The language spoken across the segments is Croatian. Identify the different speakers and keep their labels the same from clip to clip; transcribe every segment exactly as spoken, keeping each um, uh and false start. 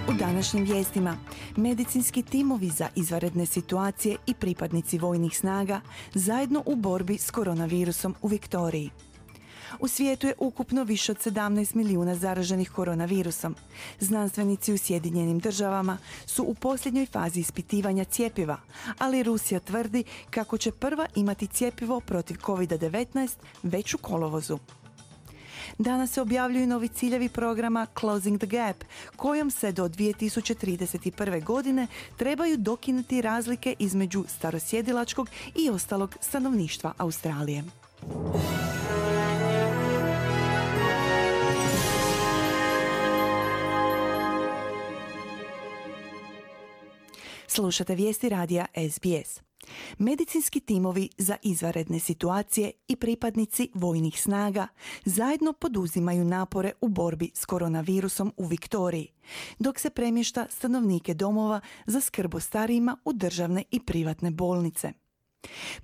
Speaker 1: U današnjim vijestima, medicinski timovi za izvanredne situacije i pripadnici vojnih snaga zajedno u borbi s koronavirusom u Viktoriji. U svijetu je ukupno više od sedamnaest milijuna zaraženih koronavirusom. Znanstvenici u Sjedinjenim državama su u posljednjoj fazi ispitivanja cjepiva, ali Rusija tvrdi kako će prva imati cjepivo protiv kovid devetnaest već u kolovozu. Danas se objavljuju novi ciljevi programa Closing the Gap, kojom se do dvije tisuće trideset prve. godine trebaju dokinuti razlike između starosjedilačkog i ostalog stanovništva Australije. Slušate vijesti radija S B S. Medicinski timovi za izvanredne situacije i pripadnici vojnih snaga zajedno poduzimaju napore u borbi s koronavirusom u Viktoriji, dok se premješta stanovnike domova za skrb o starijima u državne i privatne bolnice.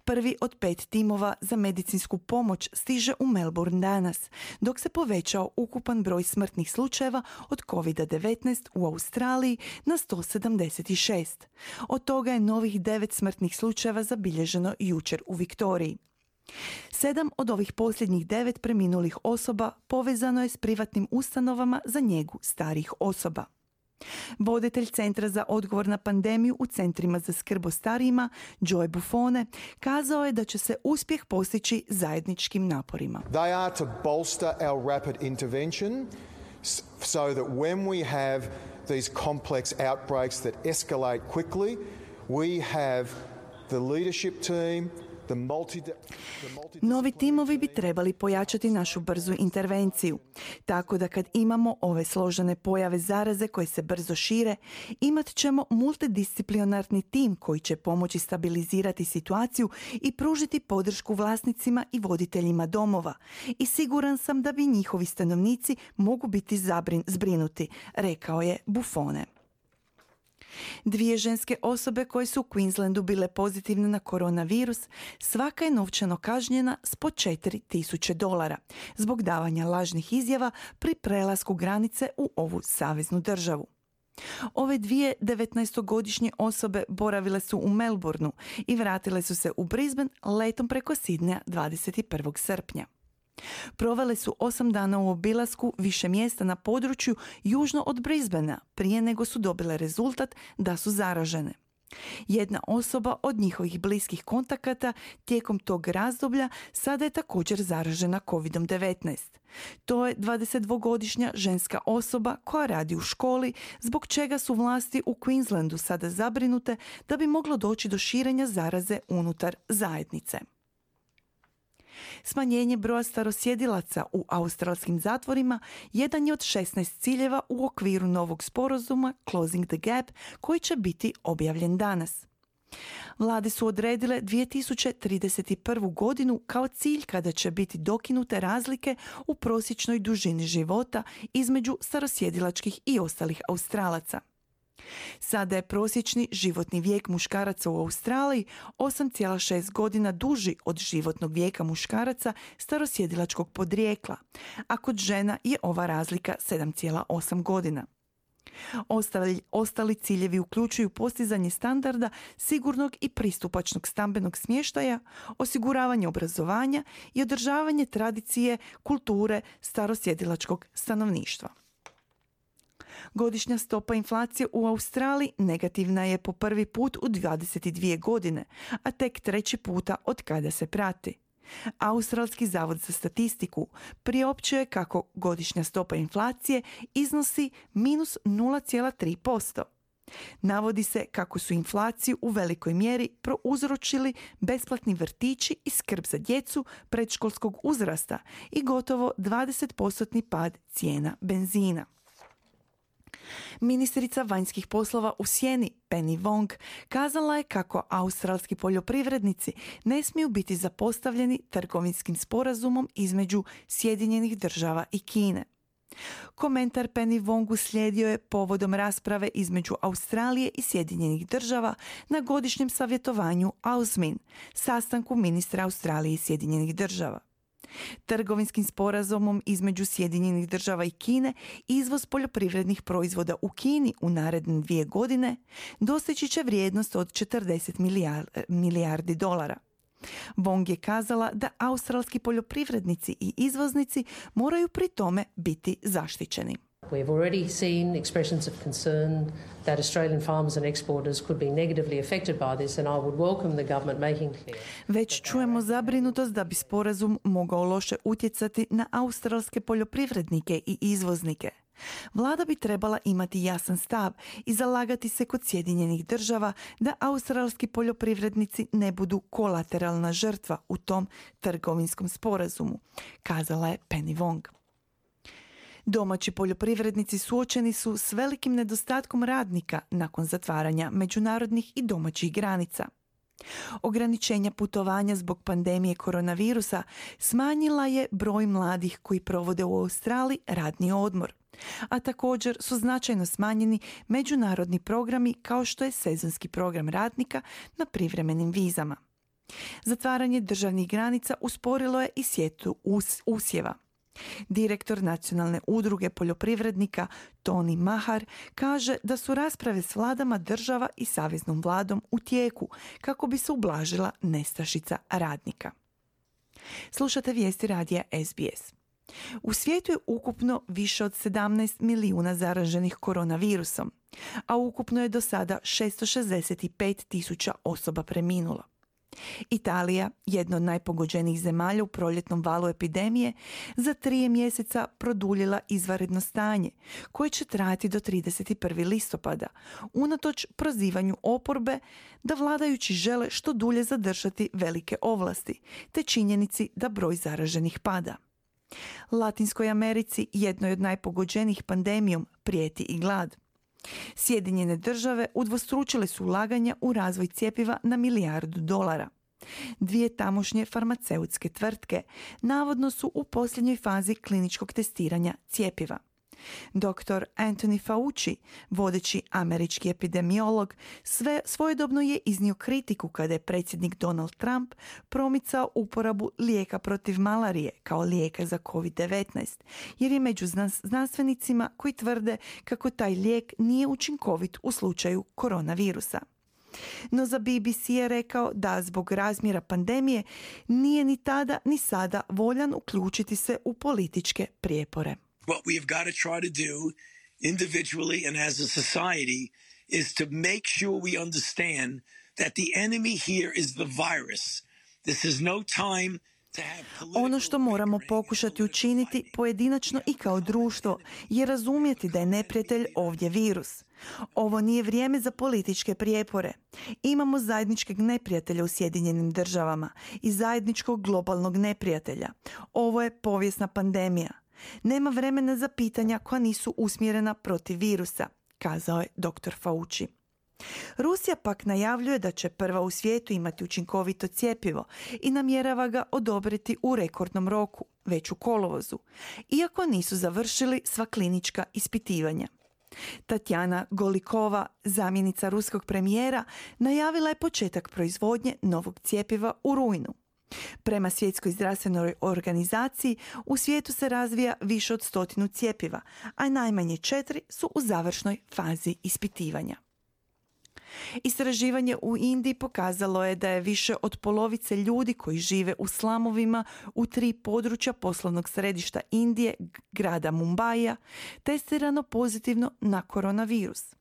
Speaker 1: Prvi od pet timova za medicinsku pomoć stiže u Melbourne danas, dok se povećao ukupan broj smrtnih slučajeva od kovid devetnaest u Australiji na sto sedamdeset šest. Od toga je novih devet smrtnih slučajeva zabilježeno jučer u Viktoriji. Sedam od ovih posljednjih devet preminulih osoba povezano je s privatnim ustanovama za njegu starijih osoba. Voditelj Centra za odgovor na pandemiju u centrima za skrb o starijima, Joy Buffone, kazao je da će se uspjeh postići zajedničkim naporima.
Speaker 2: They are to bolster our rapid intervention so that when we have these complex outbreaks that escalate quickly, we have the leadership team.
Speaker 1: Novi timovi bi trebali pojačati našu brzu intervenciju, tako da kad imamo ove složene pojave zaraze koje se brzo šire, imat ćemo multidisciplinarni tim koji će pomoći stabilizirati situaciju i pružiti podršku vlasnicima i voditeljima domova. I siguran sam da bi njihovi stanovnici mogu biti zabrin, zbrinuti, rekao je Buffone. Dvije ženske osobe koje su u Queenslandu bile pozitivne na koronavirus, svaka je novčano kažnjena s po četiri tisuće dolara zbog davanja lažnih izjava pri prelasku granice u ovu saveznu državu. Ove dvije devetnaestogodišnje osobe boravile su u Melbourneu i vratile su se u Brisbane letom preko Sidneja dvadeset prvog srpnja. Provele su osam dana u obilasku više mjesta na području južno od Brisbanea prije nego su dobile rezultat da su zaražene. Jedna osoba od njihovih bliskih kontakata tijekom tog razdoblja sada je također zaražena kovid devetnaest. To je dvadesetdvogodišnja ženska osoba koja radi u školi, zbog čega su vlasti u Queenslandu sada zabrinute da bi moglo doći do širenja zaraze unutar zajednice. Smanjenje broja starosjedilaca u australskim zatvorima jedan je od šesnaest ciljeva u okviru novog sporazuma Closing the Gap koji će biti objavljen danas. Vlade su odredile dvije tisuće trideset prvu. godinu kao cilj kada će biti dokinute razlike u prosječnoj dužini života između starosjedilačkih i ostalih Australaca. Sada je prosječni životni vijek muškaraca u Australiji osam zarez šest godina duži od životnog vijeka muškaraca starosjedilačkog podrijekla, a kod žena je ova razlika sedam zarez osam godina. Ostali, ostali ciljevi uključuju postizanje standarda sigurnog i pristupačnog stambenog smještaja, osiguravanje obrazovanja i održavanje tradicije kulture starosjedilačkog stanovništva. Godišnja stopa inflacije u Australiji negativna je po prvi put u dvadeset dvije godine, a tek treći puta od kada se prati. Australski zavod za statistiku priopćuje kako godišnja stopa inflacije iznosi minus nula zarez tri posto. Navodi se kako su inflaciju u velikoj mjeri prouzročili besplatni vrtići i skrb za djecu predškolskog uzrasta i gotovo dvadeset posto pad cijena benzina. Ministrica vanjskih poslova u sjeni Penny Wong kazala je kako australski poljoprivrednici ne smiju biti zapostavljeni trgovinskim sporazumom između Sjedinjenih država i Kine. Komentar Penny Wong uslijedio je povodom rasprave između Australije i Sjedinjenih država na godišnjem savjetovanju A U S M I N, sastanku ministra Australije i Sjedinjenih država. Trgovinskim sporazumom između Sjedinjenih država i Kine izvoz poljoprivrednih proizvoda u Kini u naredne dvije godine dostići će vrijednost od četrdeset milijardi dolara. Wong je kazala da australski poljoprivrednici i izvoznici moraju pri tome biti zaštićeni.
Speaker 3: We've already seen expressions of concern that Australian farmers and exporters could be negatively affected by this, and I would welcome the government making clear.
Speaker 1: Već čujemo zabrinutost da bi sporazum mogao loše utjecati na australske poljoprivrednike i izvoznike. Vlada bi trebala imati jasan stav i zalagati se kod Sjedinjenih država da australski poljoprivrednici ne budu kolateralna žrtva u tom trgovinskom sporazumu, kazala je Penny Wong. Domaći poljoprivrednici suočeni su s velikim nedostatkom radnika nakon zatvaranja međunarodnih i domaćih granica. Ograničenja putovanja zbog pandemije koronavirusa smanjila je broj mladih koji provode u Australiji radni odmor, a također su značajno smanjeni međunarodni programi kao što je sezonski program radnika na privremenim vizama. Zatvaranje državnih granica usporilo je i sjetvu us- usjeva. Direktor Nacionalne udruge poljoprivrednika Tony Mahar kaže da su rasprave s vladama država i saveznom vladom u tijeku kako bi se ublažila nestašica radnika. Slušate vijesti radija S B S. U svijetu je ukupno više od sedamnaest milijuna zaraženih koronavirusom, a ukupno je do sada šesto šezdeset pet tisuća osoba preminulo. Italija, jedna od najpogođenijih zemalja u proljetnom valu epidemije, za tri mjeseca produljila izvanredno stanje, koje će trajati do trideset prvog listopada, unatoč prozivanju oporbe da vladajući žele što dulje zadržati velike ovlasti, te činjenici da broj zaraženih pada. Latinskoj Americi, jednoj od najpogođenijih pandemijom, prijeti i glad. Sjedinjene države udvostručile su ulaganja u razvoj cjepiva na milijardu dolara. Dvije tamošnje farmaceutske tvrtke navodno su u posljednjoj fazi kliničkog testiranja cjepiva. doktor Anthony Fauci, vodeći američki epidemiolog, sve svojedobno je iznio kritiku kada je predsjednik Donald Trump promicao uporabu lijeka protiv malarije kao lijeka za kovid devetnaest, jer je među znanstvenicima koji tvrde kako taj lijek nije učinkovit u slučaju koronavirusa. No za B B C je rekao da zbog razmjera pandemije nije ni tada ni sada voljan uključiti se u političke prijepore.
Speaker 4: What we have got to try to do individually and as a society is to make sure we understand that the enemy here is the virus. This is no time to have political...
Speaker 1: Ono što moramo pokušati učiniti pojedinačno i kao društvo je razumjeti da je neprijatelj ovdje virus. Ovo nije vrijeme za političke prijepore. Imamo zajedničkog neprijatelja u Sjedinjenim državama i zajedničkog globalnog neprijatelja. Ovo je povijesna pandemija. Nema vremena za pitanja koja nisu usmjerena protiv virusa, kazao je doktor Fauci. Rusija pak najavljuje da će prva u svijetu imati učinkovito cjepivo i namjerava ga odobriti u rekordnom roku, već u kolovozu, iako nisu završili sva klinička ispitivanja. Tatjana Golikova, zamjenica ruskog premijera, najavila je početak proizvodnje novog cjepiva u rujnu. Prema Svjetskoj zdravstvenoj organizaciji u svijetu se razvija više od stotinu cjepiva, a najmanje četiri su u završnoj fazi ispitivanja. Istraživanje u Indiji pokazalo je da je više od polovice ljudi koji žive u slamovima u tri područja poslovnog središta Indije, grada Mumbaija, testirano pozitivno na koronavirus.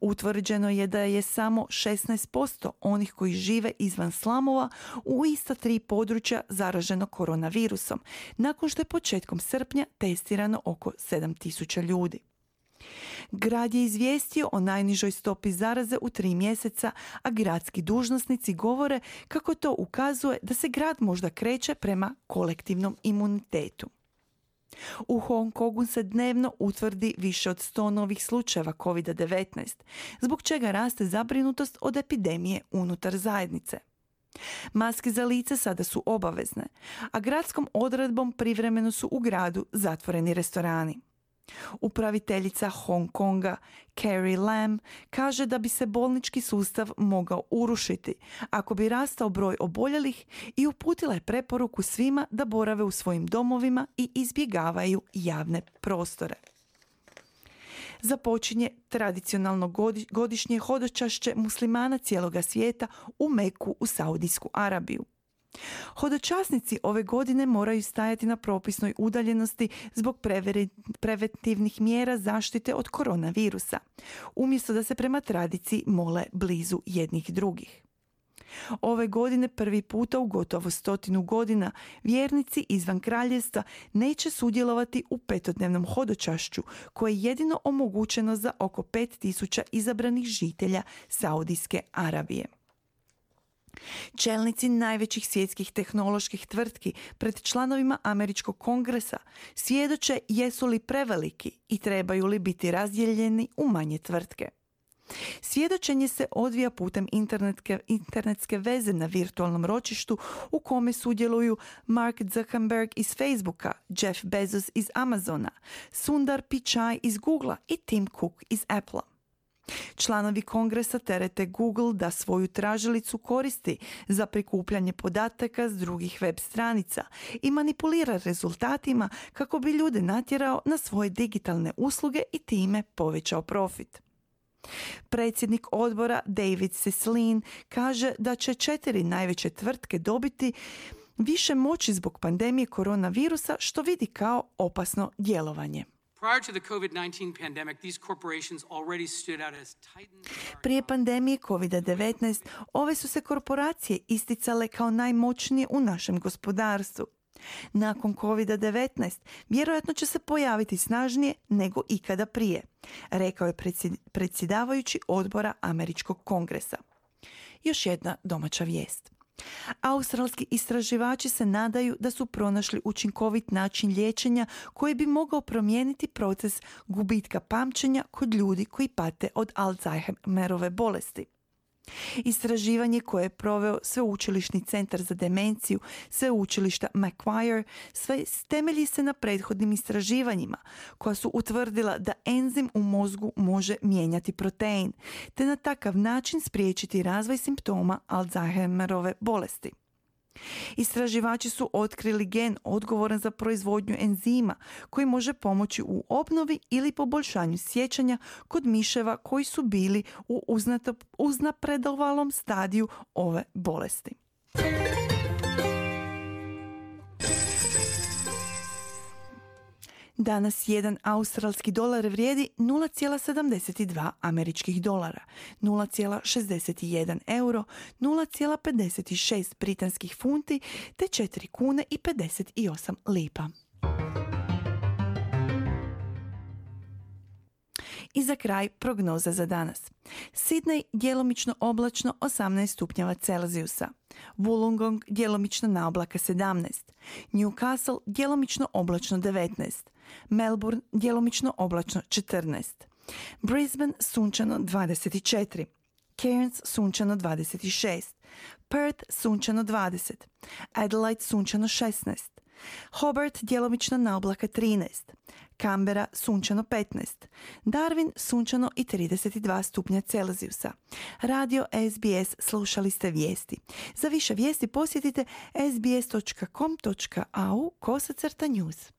Speaker 1: Utvrđeno je da je samo šesnaest posto onih koji žive izvan slamova u ista tri područja zaraženo koronavirusom, nakon što je početkom srpnja testirano oko sedam tisuća ljudi. Grad je izvijestio o najnižoj stopi zaraze u tri mjeseca, a gradski dužnosnici govore kako to ukazuje da se grad možda kreće prema kolektivnom imunitetu. U Hong Kongu se dnevno utvrdi više od sto novih slučajeva kovid devetnaest, zbog čega raste zabrinutost od epidemije unutar zajednice. Maske za lice sada su obavezne, a gradskom odredbom privremeno su u gradu zatvoreni restorani. Upraviteljica Hong Konga Carrie Lam kaže da bi se bolnički sustav mogao urušiti ako bi rastao broj oboljelih i uputila je preporuku svima da borave u svojim domovima i izbjegavaju javne prostore. Započinje tradicionalno godišnje hodočašće muslimana cijeloga svijeta u Meku u Saudijsku Arabiju. Hodočasnici ove godine moraju stajati na propisnoj udaljenosti zbog preventivnih mjera zaštite od koronavirusa, umjesto da se prema tradiciji mole blizu jednih drugih. Ove godine prvi puta u gotovo stotinu godina vjernici izvan kraljevstva neće sudjelovati u petodnevnom hodočašću koje je jedino omogućeno za oko pet tisuća izabranih žitelja Saudijske Arabije. Čelnici najvećih svjetskih tehnoloških tvrtki pred članovima Američkog kongresa svjedoče jesu li preveliki i trebaju li biti razdijeljeni u manje tvrtke. Svjedočenje se odvija putem internetske, internetske veze na virtualnom ročištu u kome sudjeluju Mark Zuckerberg iz Facebooka, Jeff Bezos iz Amazona, Sundar Pichai iz Googlea i Tim Cook iz Applea. Članovi kongresa terete Google da svoju tražilicu koristi za prikupljanje podataka s drugih web stranica i manipulira rezultatima kako bi ljude natjerao na svoje digitalne usluge i time povećao profit. Predsjednik odbora David Cicilline kaže da će četiri najveće tvrtke dobiti više moći zbog pandemije koronavirusa, što vidi kao opasno djelovanje. Prije pandemije kovid devetnaest ove su se korporacije isticale kao najmoćnije u našem gospodarstvu. Nakon kovid devetnaest vjerojatno će se pojaviti snažnije nego ikada prije, rekao je predsjedavajući odbora Američkog kongresa. Još jedna domaća vijest. Australski istraživači se nadaju da su pronašli učinkovit način liječenja koji bi mogao promijeniti proces gubitka pamćenja kod ljudi koji pate od Alzheimerove bolesti. Istraživanje koje je proveo Sveučilišni centar za demenciju Sveučilišta Macquarie sve temelji se na prethodnim istraživanjima koja su utvrdila da enzim u mozgu može mijenjati protein te na takav način spriječiti razvoj simptoma Alzheimerove bolesti. Istraživači su otkrili gen odgovoran za proizvodnju enzima koji može pomoći u obnovi ili poboljšanju sjećanja kod miševa koji su bili u uznapredovalom stadiju ove bolesti. Danas jedan australski dolar vrijedi nula zarez sedamdeset dva američkih dolara, nula zarez šezdeset jedan euro, nula zarez pedeset šest britanskih funti te četiri kune i pedeset osam lipa. I za kraj prognoza za danas. Sydney djelomično oblačno osamnaest stupnjeva Celzijusa. Wollongong djelomično na oblaka sedamnaest. Newcastle djelomično oblačno devetnaest. Melbourne djelomično oblačno četrnaest. Brisbane sunčano dvadeset četiri. Cairns sunčano dvadeset šest. Perth sunčano dvadeset. Adelaide sunčano šesnaest. Hobart djelomično na oblaka trinaest. Canberra sunčano petnaest. Darwin sunčano i trideset dva stupnja Celzijusa. Radio S B S, slušali ste vijesti. Za više vijesti posjetite s b s dot com dot a u kosacrta news.